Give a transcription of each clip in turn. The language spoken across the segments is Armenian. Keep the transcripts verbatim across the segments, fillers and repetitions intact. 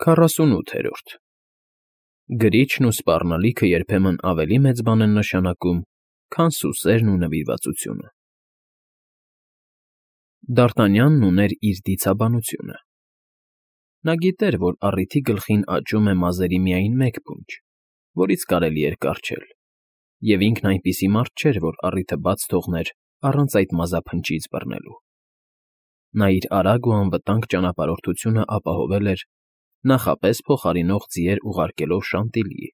Քառասունութերորդ Գրիչն ու սպառնալիքը երբեմն ավելի մեծ բան են նշանակում, քան սուսերն ու նվիրվածությունը։ Դ'Արտանյանն ուներ իր դիցաբանությունը։ Նա գիտեր, որ առիթի գլխին աճում է մազերի միայն մեկ փունջ, որից կարելի էր կառչել, և ինքն այնպիսի մարդ չէր, որ առիթը բաց թողներ առանց այդ մազափնջից բռնելու։ Նա իր արագ ու անվտանգ ճանապարհորդությունը ապահովել էր, նախապես փոխարինող ձիեր ուղարկելով Շանտիլիի,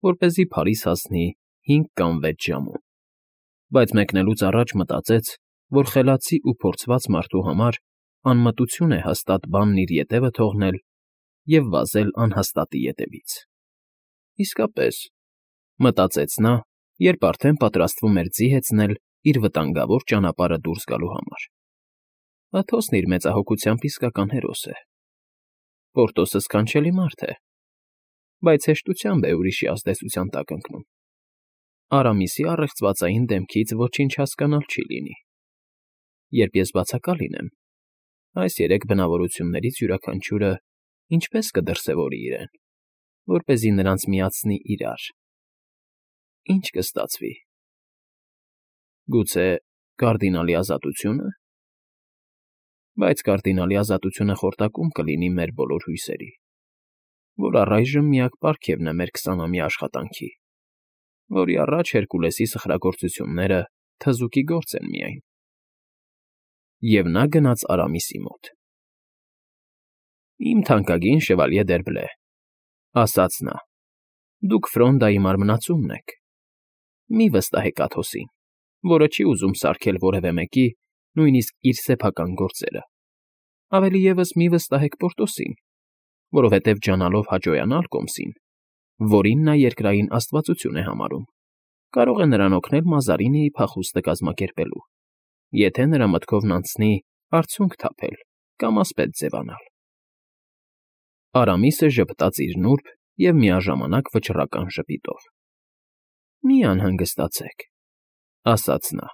որպեսզի Փարիզ հասնի հինգ կամ վեց ժամում, բայց մեկնելուց առաջ մտածեց, որ խելացի ու փորձված մարդու համար անմտություն է հաստատ բանն իր ետևը թողնել և վազել անհաստատի ետևից։ Իսկապես, մտածեց նա, երբ արդեն պատրաստվում էր ձի հեծնել իր վտանգավոր ճանապարհը դուրս գալու համար։ Աթոսն իր մեծահոգությամբ իսկական հերոս է։ Պորտոսը սքանչելի մարդ է, բայց հեշտությամբ է ուրիշի ազդեցության տակ ընկնում։ Արամիսի առեղծվածային դեմքից ոչինչ հասկանալ չի լինի։ Երբ ես բացակա լինեմ, այս երեք բնավորություններից յուրաքանչյուրը ինչպես կդրսևորի իրեն, որպեսզի նրանց միացնի իրար, ինչ կստացվի։ Գուցե կարդինալի ազատությո՞ւնը։ Բայց կարդինալի ազատությունը խորտակում կլինի մեր բոլոր հույսերի, որ առայժմ միակ պարգևն է մեր քսանամյա աշխատանքի, որի առաջ Հերկուլեսի սխրագործությունները թզուկի գործ են միայն։ Եվ նա գնաց Արամիսի մոտ։ «Իմ թանկագին շևալյե Դերբլե,֊ ասաց նա,֊ դուք Ֆրոնդայի մարմնացումն եք։ Մի վստահեք Աթոսին, որը չի ուզում սարքել որևէ մեկի, նույնիսկ իր սեփական գործերը։ Ավելի ևս մի վստահեք Պորտոսին, որովհետև ջանալով հաճոյանալ կոմսին, որին նա երկրային աստվածություն է համարում, կարող է նրան օգնել Մազարինիի փախուստը կազմակերպելու, եթե նրա մտքովն անցնի արցունք թափել կամ ասպետ ձևանալ»։ Արամիսը ժպտաց իր նուրբ և միաժամանակ վճռական ժպիտով։ «Մի անհանգստացեք,֊ ասաց նա,֊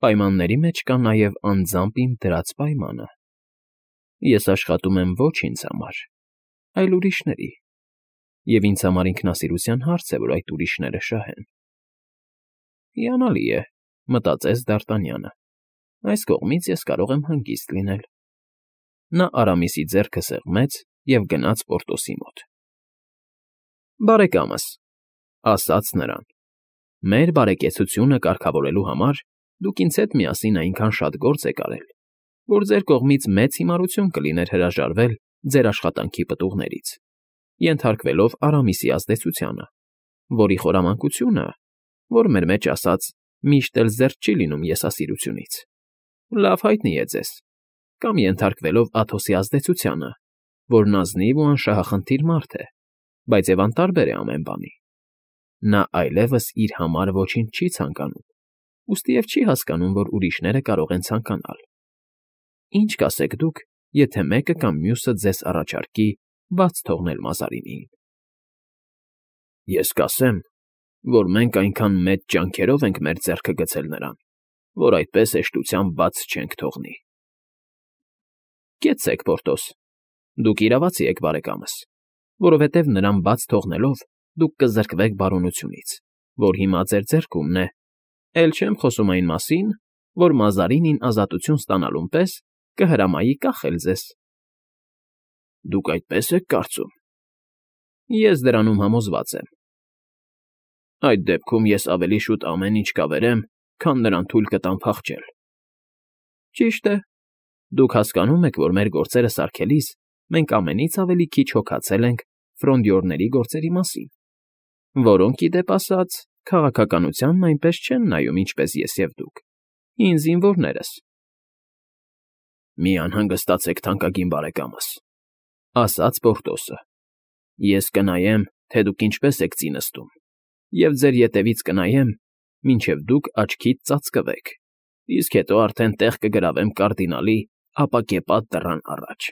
պայմանների մեջ կա նաև անձամբ իմ դրած պայմանը. ես աշխատում եմ ոչ ինձ համար, այլ ուրիշների, և ինձ համար ինքնասիրության հարց է, որ այդ ուրիշները շահեն»։ «Հիանալի է,֊ մտածեց Դ'Արտանյանը,֊ այս կողմից ես կարող եմ հանգիստ լինել»։ Նա Արամիսի ձեռքը սեղմեց և գնաց Պորտոսի մոտ։ «Բարեկամս,֊ ասաց նրան,֊ մեր բարեկեցությունը կարգավորելու համար դուք ինձ հետ միասին այնքան շատ գործ եք արել, որ ձեր կողմից մեծ հիմարություն կլիներ հրաժարվել ձեր աշխատանքի պտուղներից, ենթարկվելով Արամիսի ազդեցությանը, որի խորամանկությունը, որ մեր մեջ ասած, միշտ էլ զերծ չի լինում եսասիրությունից, լավ հայտնի է ձեզ, կամ ենթարկվելով Աթոսի ազդեցությանը, որն ազնիվ ու անշահախնդիր մարդ է, բայց և անտարբեր է ամեն բանի։ Նա այլևս իր համար ոչինչ չի ցանկանում, ուստի և չի հասկանում, որ ուրիշները կարող են ցանկանալ։ Ինչ կասեք դուք, եթե մեկը կամ մյուսը ձեզ առաջարկի բաց թողնել Մազարինիին։ «Ես կասեմ, որ մենք այնքան մեծ ջանքերով ենք մեր ձեռքը գցել նրան, որ այդպես հեշտությամբ բաց չենք թողնի»։ «Կեցցեք, Պորտոս, դուք իրավացի եք, բարեկամս, որովհետև նրան բաց թողնելով դուք կզրկվեք բարօնությունից, որ հիմա ձեր ձեռքումն է, էլ չեմ խոսում այն մասին, որ Մազարինին ազատություն ստանալուն պես կհրամայի կախել ձեզ»։ «Դուք այդպես եք կարծում»։ «Ես դրանում համոզված եմ»։ «Այդ դեպքում ես ավելի շուտ ամեն ինչ կավերեմ, քան նրան թույլ կտամ փախչել»։ «Ճիշտ է, դուք հասկանում եք, որ մեր գործերը սարքելիս մենք ամենից ավելի քիչ հոգացել ենք ֆրոնդյորների գործերի մասին, որոնք, ի դեպ ասած, քաղաքականությանն այնպես չեն նայում, ինչպես ես և դուք, հին զինվորներս»։ «Մի անհանգստացեք, թանկագին բարեկամս,֊ ասաց Պորտոսը,֊ ես կնայեմ, թե դուք ինչպես եք ծի նստում, և ձեր ետևից կնայեմ, մինչև դուք աչքիդ ծածկվեք, իսկ հետո արդեն տեղ կգրավեմ կարդինալի ապակեպատ դռան առաջ,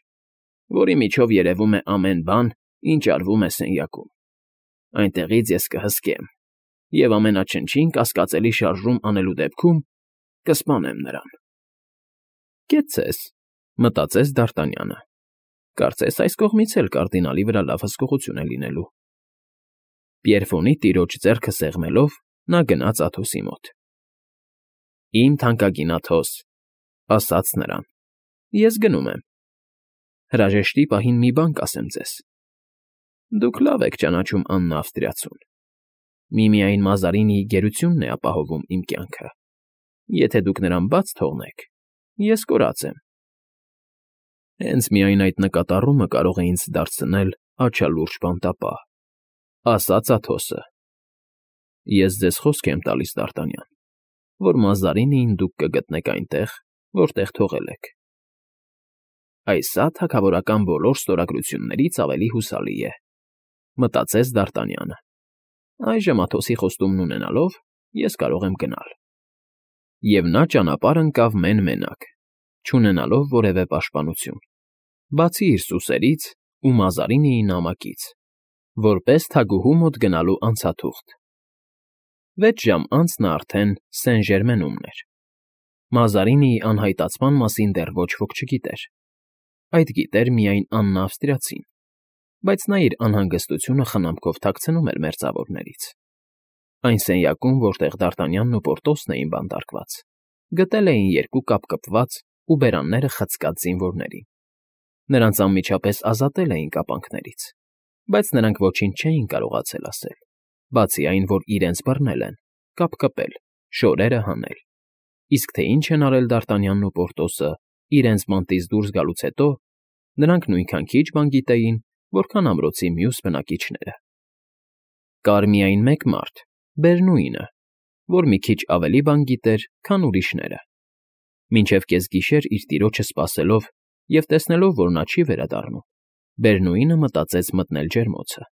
որի միջով երևում է ամեն բան, ինչ արվում է սենյակում։ Այնտեղից ես կհսկեմ և ամենաչնչին կասկածելի շարժում անելու դեպքում կսպանեմ նրան»։ «Կեցցես,֊ մտածեց Դ'Արտանյանը,֊ Կարծես այս կողմից էլ կարդինալի վրա լավ հսկողություն է լինելու։ Պիերֆոնի տիրոջ ձեռքը սեղմելով, նա գնաց Աթոսի մոտ։ ֊ Իմ թանկագին Աթոս,֊ ասաց նրան,֊ ես գնում եմ։ Հրաժեշտի պահին մի բան կասեմ ձեզ. դուք լավ եք ճանաչում Աննա Ավստրիացուն. միմիայն Մազարինիի գերությունն է ապահովում իմ կյանքը։ Եթե դուք նրան բաց թողնեք, ես կորած եմ։ Հենց միայն այդ նկատառումը կարող է ինձ դարձնել աչալուրջ բանտապահ,֊ ասաց Աթոսը։ Ես ձեզ խոսք եմ տալիս, Դ'Արտանյան, որ Մազարինիին դուք կգտնեք այնտեղ, որտեղ թողել եք։ Այս սա թագավորական բոլոր ստորագրություններից ավելի հուսալի է,֊ մտածեց Դ'Արտանյանը։ Այժմ Աթոսի խոստումն ունենալով, ես կարող եմ գնալ։ Եվ նա ճանապարհ ընկավ մեն֊մենակ, չունենալով որևէ պաշտպանություն, բացի իր սուսերից ու Մազարինիի նամակից, որպես թագուհու մոտ գնալու անցաթուղթ։ Վեց ժամ անց նա արդեն Սեն֊Ժերմենում էր։ Մազարինիի անհայտացման մասին դեռ ոչ ոք չգիտեր։ Այդ գիտեր միայն Աննա Ավստրիացին, բայց նա իր անհանգստությունը խնամքով թաքցնում էր մերձավորներից։ Այն սենյակում, որտեղ Դ'Արտանյանն ու Պորտոսն էին բանտարկված, գտել էին երկու կապկպված ու բերանները խցկած զինվորներին։ Նրանց անմիջապես ազատել էին կապանքներից, բայց նրանք ոչինչ չէին կարողացել ասել, բացի այն, որ իրենց բռնել են, կապկպել, շորերը հանել։ Իսկ թե ինչ են արել Դ'Արտանյանն ու Պորտոսը իրենց մանտից դուրս գալուց հետո, նրանք նույնքան քիչ բան գիտեին, որքան ամրոցի մյուս բնակիչները։ Կար միայն մեկ մարդ, Բերնուինը, որ մի քիչ ավելի բան գիտեր, քան ուրիշները։ Մինչև կեսգիշեր իր տիրոջը սպասելով և տեսնելով, որ նա չի վերադառնում, Բերնուինը մտածեց մտնել ջերմոցը։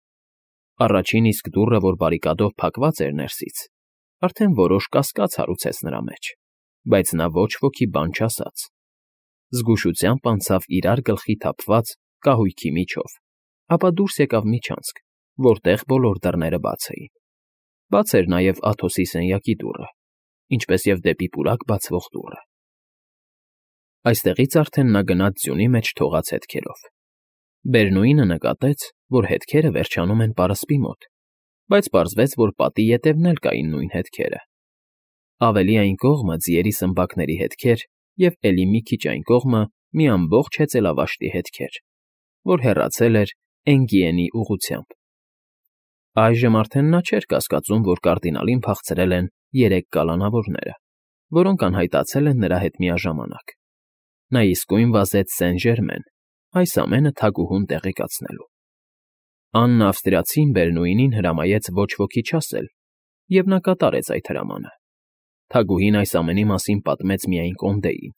Առաջին իսկ դուռը, որ բարիկադով փակված էր ներսից, արդեն որոշ կասկած հարուցեց նրա մեջ, բայց նա ոչ ոքի բան չասաց։ Զգուշությամբ անցավ իրար գլխի թափված կահույքի միջով, ապա դուրս եկավ միջանցք, որտեղ բոլոր դռները բաց էին։ Բաց էր նաև Աթոսի սենյակի դուռը, ինչպես և դեպի պուրակ բացվող դուռը։ Այստեղից արդեն նա գնաց ձյունի մեջ թողած հետքերով։ Բերնուինը նկատեց, որ հետքերը վերջանում են պարսպի մոտ, բայց պարզվեց, որ պատի ետևն էլ կային նույն հետքերը։ Ավելի այն կողմը ձիերի սմբակների հետքեր և էլի մի քիչ այն կողմը մի ամբողջ հեծելավաշտի հետքեր, որ հեռացել էր Էնգիենի ուղղությամբ։ Այժմ արդեն նա չէր կասկածում, որ կարդինալին փախցրել են երեք կալանավորները, որոնք անհայտացել են նրա հետ միաժամանակ։ Նա իսկույն վազեց Սեն֊Ժերմեն, այս ամենը թագուհուն տեղեկացնելու։ Աննա Ավստրիացին Բերնուինին հրամայեց ոչ ոքի չասել, և նա կատարեց այդ հրամանը։ Թագուհին այս ամենի մասին պատմեց միայն Կոնդեին,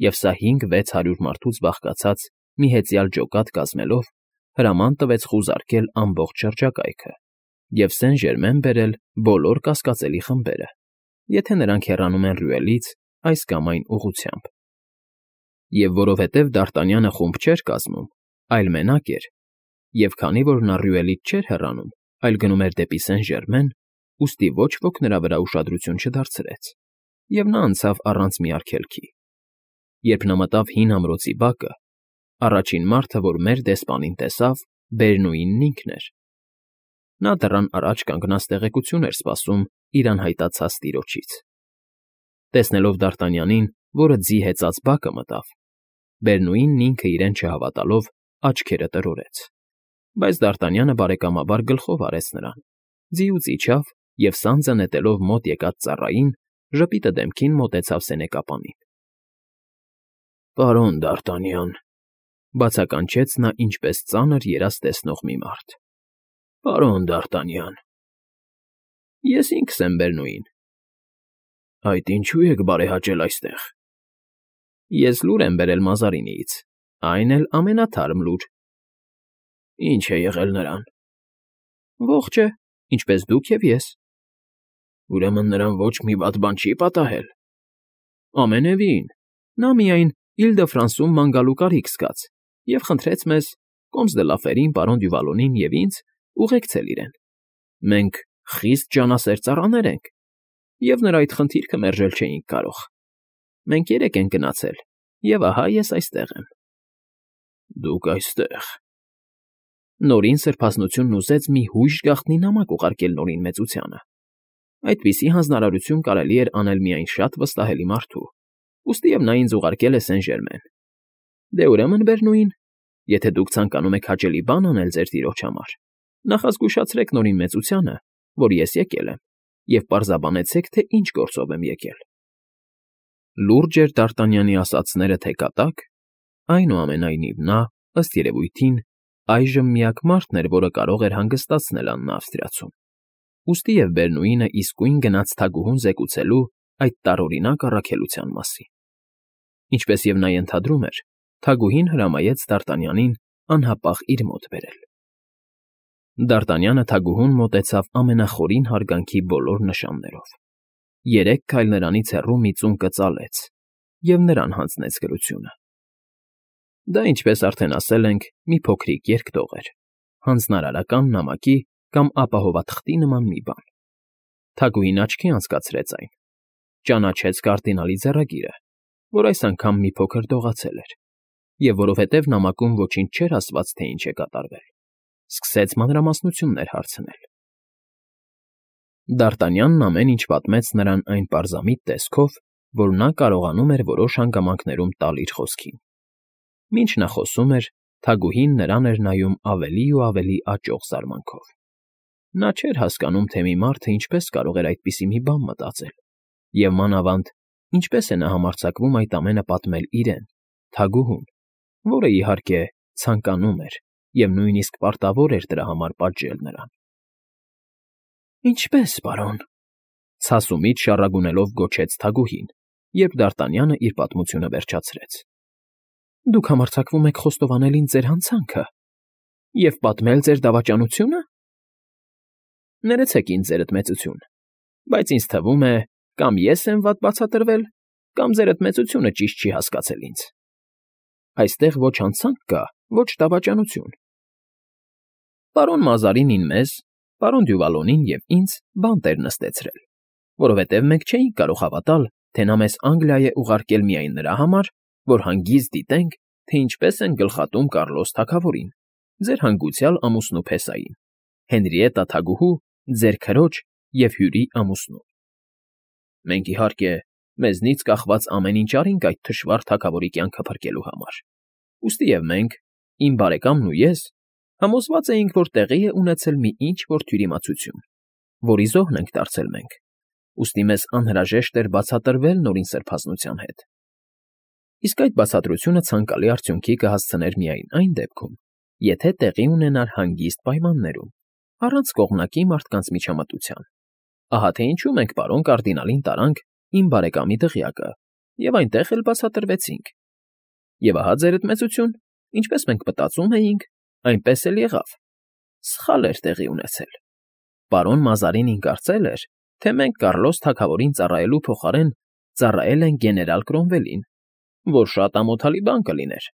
և սա հինգ֊վեց հարյուր մարդուց բաղկացած մի հեծյալ ջոկատ կազմելով հրաման տվեց խուզարկել ամբողջ շրջակայքը և Սեն֊Ժերմեն բերել բոլոր կասկածելի խմբերը, եթե նրանք հեռանում են Ռյուելից այս կամ այն ուղղությամբ։ Եվ որովհետև Դ'Արտանյանը խումբ չէր կազմում, այլ մենակ էր, և քանի որ նա Ռյուելից չէր հեռանում, այլ գնում էր դեպի Սեն֊Ժերմեն, ուստի ոչ ոք նրա վրա ուշադրություն չդարձրեց, և նա անցավ առանց մի արգելքի։ Երբ նա մտավ հին ամրոցի բակը, առաջին մարդը, որ մեր դեսպանին տեսավ, Բերնուինն ինքն էր։ Նա դռան առաջ կանգնած տեղեկություն էր սպասում իր անհայտացած տիրոջից։ Տեսնելով Դ'Արտանյանին, որը ձի հեծած բակը մտավ, Բերնուինն ինքը իրեն չհավատալով աչքերը տրորեց։ Բայց Դ'Արտանյանը բարեկամաբար գլխով արեց նրան, ձիուց իջավ և սանձը նետելով մոտ եկած ծառային, ժպիտը դեմքին մոտեցավ սենեկապանին։ ֊ Պարոն Դ'Արտանյան,֊ բացականչեց նա ինչպես ծանր երազ տեսնող մի մարդ,֊ պարոն Դ'Արտանյան։ ֊ Ես ինքս եմ, Բերնուին։ ֊ Այդ ինչո՞ւ եք բարեհաճել այստեղ։ ֊ Ես լուր եմ բերել Մազարինիից, այն էլ ամենաթարմ լուր։ ֊ Ի՞նչ է եղել նրան։ ֊ Ողջ է, ինչպես դուք և ես։ ֊ Ուրեմն նրան ոչ մի վատ բան չի պատահել։ ֊ Ամենևին, նա միայն Իլ֊դը֊Ֆրանսում ման գալու կարիք զգաց և խնդրեց մեզ, Կոմս դը Լաֆերին, պարոն Դյուվալոնին և ինձ ուղեկցել իրեն։ Մենք խիստ ջանասեր ծառաներ ենք, և նրա այդ խնդիրքը մերժել չէինք կարող։ Մենք երեք ենք գնացել, և ահա ես այստեղ եմ։ ֊ Դուք այստեղ… Նորին սրբազնությունն ուզեց մի հույժ գաղտնի նամակ ուղարկել Նորին մեծությանը. այդպիսի հանձնարարություն կարելի էր անել միայն շատ վստահելի մարդու, ուստիև նա ինձ ուղարկել է Սեն֊Ժերմեն։ Դե ուրեմն, Բերնուին, եթե դուք ցանկանում եք հաճելի բան անել ձեր տիրոջ համար, նախազգուշացրեք Նորին մեծությանը, որ ես եկել եմ, և պարզաբանեցեք, թե ինչ գործով եմ եկել։ Լուրջ էր Դ'Արտանյանի ասածները թե կատակ, այնուամենայնիվ նա, ըստ երևույթին, այժմ միակ մարդն էր, որը կարող էր հանգստացնել Աննա Ավստրիացուն, ուստիև Բերնուինը իսկույն գնաց թագուհուն զեկուցելու այդ տարօրինակ առաքելության մասին։ Ինչպես և նա ենթադրում էր, թագուհին հրամայեց Դ'Արտանյանին անհապաղ իր մոտ բերել։ Դ'Արտանյանը թագուհուն մոտեցավ ամենախորին հարգանքի բոլոր նշաններով, երեք քայլ նրանից հեռու մի ծուն կծալեց և նրան հանձնեց գրությունը։ Դա, ինչպես արդեն ասել ենք, մի փոքրիկ երկտող էր, հանձնարարական նամակի կամ ապահովաթղթի նման մի բան։ Թագուհին աչքի անցկացրեց այն, ճանաչեց կարդինալի ձեռագիրը, որ այս անգամ մի փոքր դողացել էր, և որովհետև նամակում ոչինչ չէր ասված, թե ինչ է կատարվել, սկսեց մանրամասնություններ հարցնել։ Դ'Արտանյանն ամեն ինչ պատմեց նրան այն պարզամիտ տեսքով, որ նա կարողանում էր որոշ հանգամանքներում տալ իր խոսքին։ Մինչ նա խոսում էր, թագուհին նրան էր նայում ավելի ու ավելի աճող զարմանքով։ Նա չէր հասկանում, թե մի մարդը ինչպես կարող էր այդպիսի մի բան մտածել, և մանավանդ ինչպես է նա համարձակվում այդ ամենը պատմել իրեն, թագուհուն, որը, իհարկե, ցանկանում էր և նույնիսկ պարտավոր էր դրա համար պատժել նրան։ Ինչպե՞ս, պարոն,֊ ցասումից շառագունելով գոչեց թագուհին, երբ Դ'Արտանյանը իր պատմությունը վերջացրեց։ Դուք համարձակվում եք խոստովանել ինձ ձեր հանցանքը և պատմել ձեր դավաճանությո՞ւնը։ Ներեցեք ինձ, ձերդ մեծություն, բայց ինձ թվում է, կամ ես եմ վատ բացատրվել, կամ ձերդ մեծությունը ճիշտ չի հասկացել ինձ։ Այստեղ ոչ հանցանք կա, ոչ դավաճանություն։ Պարոն Մազարինին մեզ, պարոն Դյուվալոնին և ինձ բանտեր նստեցրել, որովհետև մենք չէինք կարող հավատալ, թե նա մեզ Անգլիա է ուղարկել միայն նրա համար, որ հանգիստ դիտենք, թե ինչպես են գլխատում Կառլոս թագավորին, ձեր հանգուցյալ ամուսնու Փեսային, Հենրիետտա թագուհու, ձեր քրոջ և հյուրի ամուսնու։ Մենք, իհարկե, մեզնից կախված ամեն ինչ արինք այդ թշվառ թագավորի կյանքը փրկելու համար, ուստիև մենք, իմ բարեկամն ու ես, համոզված էինք, որ տեղի է ունեցել մի ինչ֊որ թյուրիմացություն, որի զոհն ենք դարձել մենք, ուստի մեզ անհրաժեշտ էր բացատրվել Նորին սրբազնության հետ։ Իսկ այդ բացատրությունը ցանկալի արդյունքի կհասցներ միայն այն դեպքում, եթե տեղի ունենար հանգիստ պայմաններում, առանց կողմնակի մարդկանց միջամտության։ Ահա թե ինչու մենք պարոն կարդինալին տարանք իմ բարեկամի դղյակը և այնտեղ էլ բացատրվեցինք։ Եվ ահա, ձերդ մեծություն, ինչպես մենք մտածում էինք, այնպես էլ եղավ. սխալ էր տեղի ունեցել։ Պարոն Մազարինին կարծել էր, թե մենք Կառլոս թագավորին ծառայելու փոխարեն ծառայել ենք գեներալ Կրոմվելին, որ շատ ամոթալի բան կլիներ։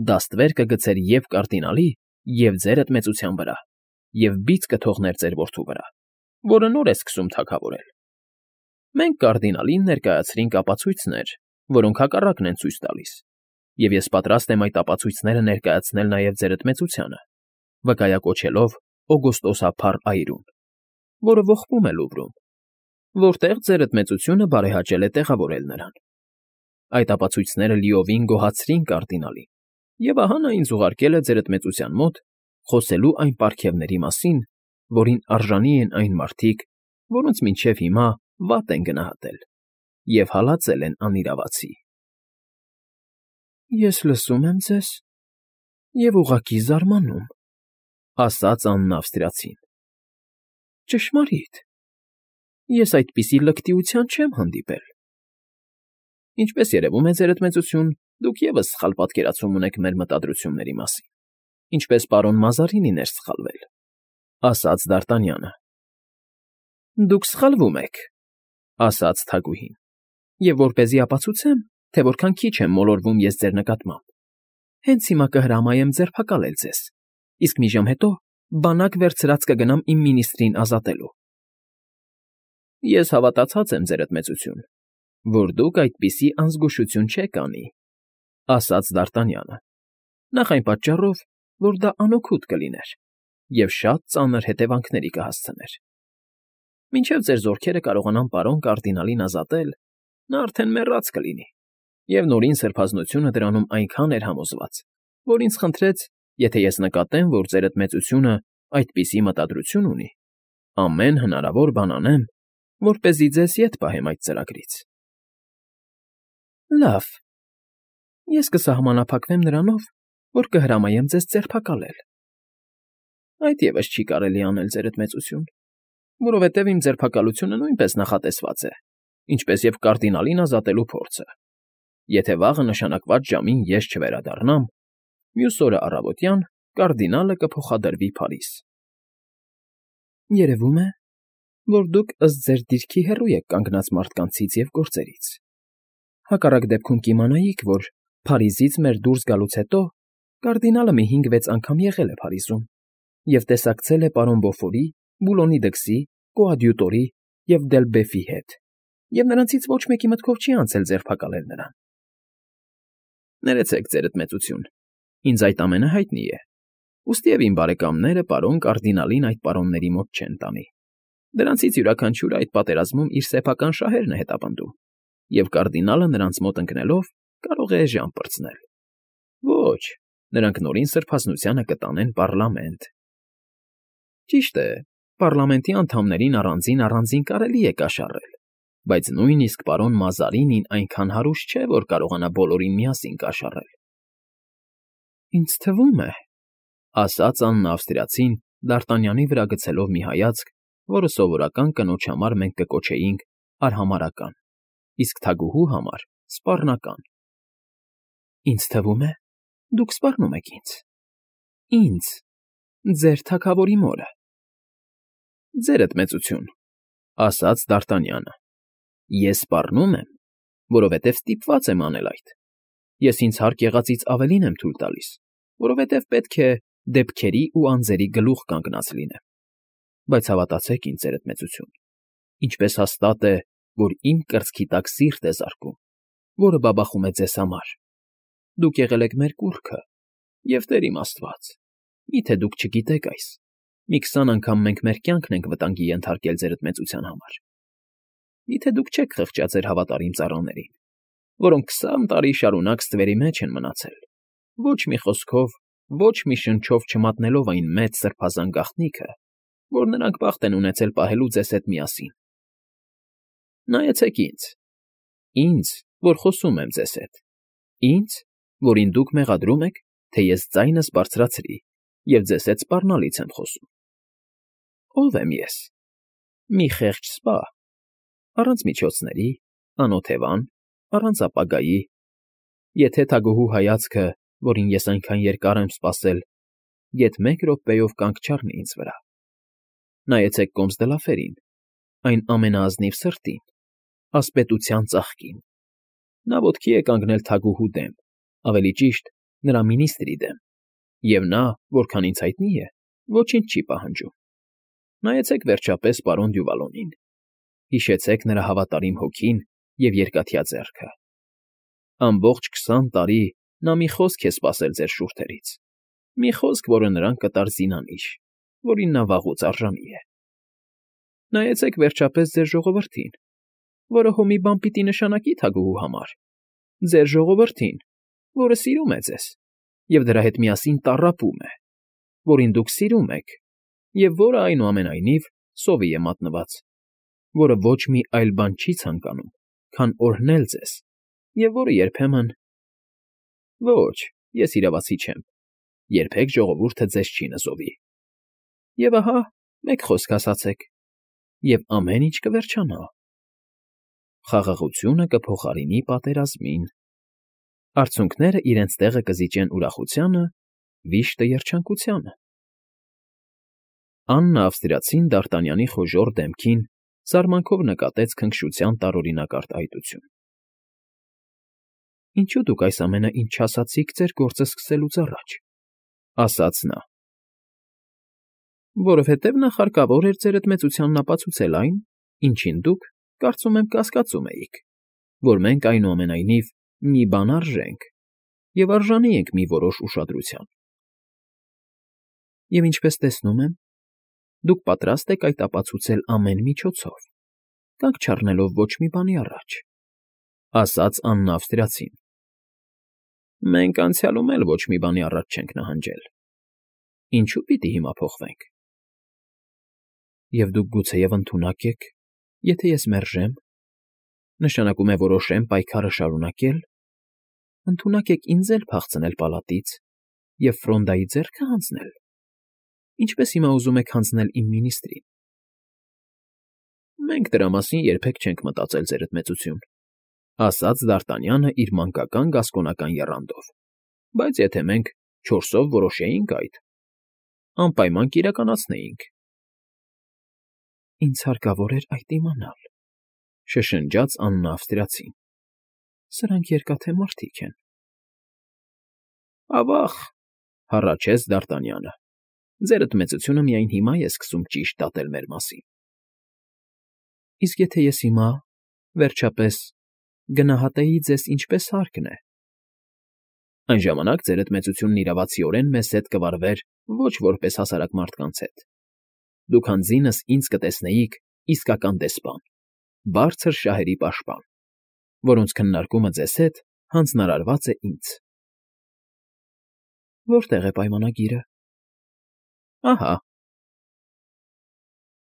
Դա ստվեր կգցեր և կարդինալի, և ձերդ մեծության վրա, և բիծ կթողներ ձեր որդու վրա, որը նոր է սկսում թագավորել։ Մենք կարդինալին ներկայացրինք ապացույցներ, որոնք հակառակն են ցույց տալիս, և ես պատրաստ եմ այդ ապացույցները ներկայացնել նաև ձերդ մեծությանը, վկայակոչելով օգոստոսափառ այրուն, որը ողբում է Լուվրում, որտեղ ձերդ մեծությունը բարեհաճել է տեղավորել նրան։ Այդ ապացույցները լիովին գոհացրին կարդինալին, և ահա նա ինձ ուղարկել է ձերդ մեծության մոտ խոսելու այն պարգևների մասին, որին արժանի են այն մարդիկ, որոնց մինչև հիմա վատ են գնահատել և հալածել են անիրավացի։ Ես լսում եմ ձեզ և ուղղակի զարմանում,֊ ասաց Աննա Ավստրիացին։ Ճշմարիտ, ես այդպիսի լկտիության չեմ հանդիպել։ Ինչպես երևում է, ձերդ մեծություն, դուք ևս սխալ պատկերացում ունեք մեր մտադրությունների մասին, ինչպես պարոն Մազարինին էր սխալվել,֊ ասաց Դ'Արտանյանը։ Դուք սխալվում եք,֊ ասաց թագուհին, և որպեսզի ապացուցեմ, թե որքան քիչ եմ մոլորվում ես ձեր նկատմամբ, հենց հիմա կհրամայեմ ձերբակալել ձեզ, իսկ մի ժամ հետո բանակ վերցրած կգնամ իմ մինիստրին ազատելու։ Ես հավատացած եմ, ձերդ մեծություն, որ դուք այդպիսի անզգուշություն չեք անի,֊ ասաց Դ'Արտանյանը։ Նախ այն պատճառով, որ դա անօգուտ կլիներ և շատ ծանր հետևանքների կհասցներ։ Մինչև ձեր զորքերը կարողանան պարոն կարդինալին ազատել, նա արդեն մեռած կլինի, և Նորին Սրբազնությունը դրանում այնքան էր համոզված, որ ինձ խնդրեց, եթե ես նկատեմ, որ ձերդ մեծությունը այդպիսի մտադրություն ունի, ամեն հնարավոր բան անեմ, որպեսզի ձեզ ետ պահեմ այդ ծրագրից։ Լավ, ես կսահմանափակվեմ նրանով, որ կհրամայեմ ձեզ ձերբակալել։ Այդ ևս չի կարելի անել, ձերդ մեծություն, որովհետև իմ ձերբակալությունը նույնպես նախատեսված է, ինչպես և կարդինալին ազատելու փորձը։ Եթե վաղը նշանակված ժամին ես չվերադառնամ, մյուս օրը առավոտյան կարդինալը կփոխադրվի Փարիզ։ Երևում է, որ դուք ըստ ձեր դիրքի հեռու եք կանգնած մարդկանցից և գործերից։ Հակառակ դեպքում կիմանայիք, որ Փարիզից մեր դուրս գալուց հետո կարդինալը մի հինգ֊վեց անգամ եղել է Փարիզում և տեսակցել է պարոն Բոֆորի, Բուլոնի դքսի, Կոադյուտորի և Դելբեֆի հետ, և նրանցից ոչ մեկի մտքով չի անցել ձերբակալել նրան։ Ներեցեք, ձերդ մեծություն, ինձ այդ ամենը հայտնի է, ուստիև իմ բարեկամները պարոն կարդինալին այդ պարոնների մոտ չեն տանի։ Դրանցից յուրաքանչյուրը այդ պատերազմում իր սեփական շահերն է հետապնդում, և կարդինալը նրանց մոտ ընկնելով կարող է էժան պրծնել։ Ոչ, նրանք Նորին Սրբազնությանը կտանեն պառլամենտ։ Ճիշտ է, պառլամենտի անդամներին առանձին֊առանձին կարելի է կաշառել, բայց նույնիսկ պարոն Մազարինին այնքան հարուստ չէ, որ կարողանա բոլորին միասին կաշառել։ Ինձ թվում է, ասաց Աննա Ավստրիացին, Դարտանյանի վրա գցելով մի հայացք, որը սովորական կնոջ համար մենք կկոչեինք արհամարհական, իսկ թագուհու համար՝ սպառնական։ Ինձ թվում է, դուք սպառնում եք ինձ։ Ինձ, ձեր թագավորի մորը։ Ձերդ մեծություն, ասաց Դարտանյանը։ Ես սպառնում եմ, որովհետև ստիպված եմ անել այդ։ Ես ինձ հարկ եղածից ավելին եմ թույլ տալիս, որովհետև պետք է դեպքերի ու անձերի գլուխ կանգնած լինեմ։ Բայց հավատացեք ինձ, ձերդ մեծություն, ինչպես հաստատ է, որ իմ կրծքի տակ սիրտ է զարկում, որը բաբախում է ձեզ համար։ Դուք եղել եք մեր կուռքը, և Տեր իմ Աստված, միթե դուք չգիտեք այս, մի քսան անգամ մենք մեր կյանքն ենք վտանգի ենթարկել ձերդ մեծության համար։ Միթե դուք չեք խղճա ձեր հավատարիմ ծառաներին, որոնք քսան տարի շարունակ ստվերի մեջ են մնացել, ոչ մի խոսքով, ոչ մի շնչով չմատնելով այն մեծ սրբազան գաղտնիքը, որ նրանք բախտ են ունեցել պահելու ձեզ հետ միասին։ Նայեցեք ինձ, ինձ, որ խոսում եմ ձեզ հետ, ինձ, որին դուք մեղադրում եք, թե ես ձայնս բարձրացրի և ձեզ հետ սպառնալից եմ խոսում։ Ո՞վ եմ ես։ Մի խեղճ սպա, առանց միջոցների, անօթևան, առանց ապագայի։ Եթե թագուհու հայացքը, որին ես այնքան երկար եմ սպասել, գեթ մեկ րոպեով կանգ չառնի ինձ վրա։ Նայեցեք Կոմս դը Լաֆերին, այն ամենաազնիվ սրտին, ասպետության ծաղկին։ Նա ոտքի է կանգնել թագուհու դեմ, ավելի ճիշտ, նրա մինիստրի դեմ, և նա, որքան ինձ հայտնի է, ոչինչ չի պահանջում։ Նայեցեք վերջապես պարոն Դյուվալոնին, հիշեցեք նրա հավատարիմ հոգին և երկաթյա ձեռքը։ Ամբողջ քսան տարի նա մի խոսք է սպասել ձեր շուրթերից, մի խոսք, որը նրան կտար զինանիշ, որին նա վաղուց արժանի է։ Նայեցեք վերջապես ձեր ժողովրդին, որը հո մի բան պիտի նշանակի թագուհու համար, ձեր ժողովրդին, որը սիրում է ձեզ և դրա հետ միասին տառապում է, որին դուք սիրում եք և որը, այնուամենայնիվ, սովի է մատնված, որը ոչ մի այլ բան չի ցանկանում, քան օրհնել ձեզ, և որը երբեմն… Ոչ, ես իրավացի չեմ, երբեք ժողովուրդը ձեզ չի նզովի։ Եվ ահա, մեկ խոսք ասացեք, և ամեն ինչ կվերջանա։ Խաղաղությունը կփոխարինի պատերազմին, արցունքները իրենց տեղը կզիջեն ուրախությանը, վիշտը երջանկությանը։ Աննա Ավստրիացին Դարտանյանի խոժոռ դեմքին զարմանքով նկատեց քնքշության տարօրինակարգ այտություն։ Ինչո՞ւ դուք այս ամենը ինձ չասացիք ձեր գործը սկսելուց առաջ, ասաց նա։ Որովհետև նախ հարկավոր էր ձերդ մեծությանն ապացուցել այն, ինչին դուք, կարծում եմ, կասկածում էիք, որ մենք, այնուամենայնիվ, մի բան արժենք, Եվ արժանի ենք մի որոշ ուշադրության։ Եվ ինչպես տեսնում եմ, դուք պատրաստ եք այդ ապացուցել ամեն միջոցով, կանգ չառնելով ոչ մի բանի առաջ, ֊ ասաց Աննա ավստրիացին։ ֊ Մենք անցյալում էլ ոչ մի բանի առաջ չենք նահանջել, ինչո՞ւ պիտի հիմա փոխվենք։ ֊ Եվ դուք գուցեև ընդունակ եք, եթե ես մերժեմ, նշանակում է որոշեմ պայքարը շարունակել, ընդունակ եք ինձ էլ փախցնել պալատից և Ֆրոնդայի ձեռքը հանձնել, ինչպես հիմա ուզում եք հանձնել իմ մինիստրին։ ֊ Մենք դրա մասին երբեք չենք մտածել, ձերդ մեծություն, ֊ ասաց Դ'Արտանյանը իր մանկական գասկոնական եռանդով, ֊ բայց եթե մենք չորսով որոշեինք այդ, անպայման կիրականացնեինք։ ֊ Ինձ հարկավոր էր այդ իմանալ, ֊ շշնջաց Աննա ավստրիացին։ ֊ Սրանք երկաթե մարդիկ են։ ֊ Ավա՜ղ,֊ հառաչեց Դ'Արտանյանը,֊ ձերդ մեծությունը միայն հիմա է սկսում ճիշտ դատել մեր մասին։ ֊ Իսկ եթե ես հիմա, վերջապես, գնահատեի ձեզ ինչպես հարկն է, այն ժամանակ ձերդ մեծությունն իրավացիորեն մեզ հետ կվարվեր ոչ որպես հասարակ մարդկանց հետ. դուք հանձինս ինձ կտեսնեիք իսկական դեսպան, բարձր շահերի պաշտպան, որոնց քննարկումը ձեզ հետ հանձնարարված է ինձ։ ֊ Որտե՞ղ է պայմանագիրը։ ֊ Ահա։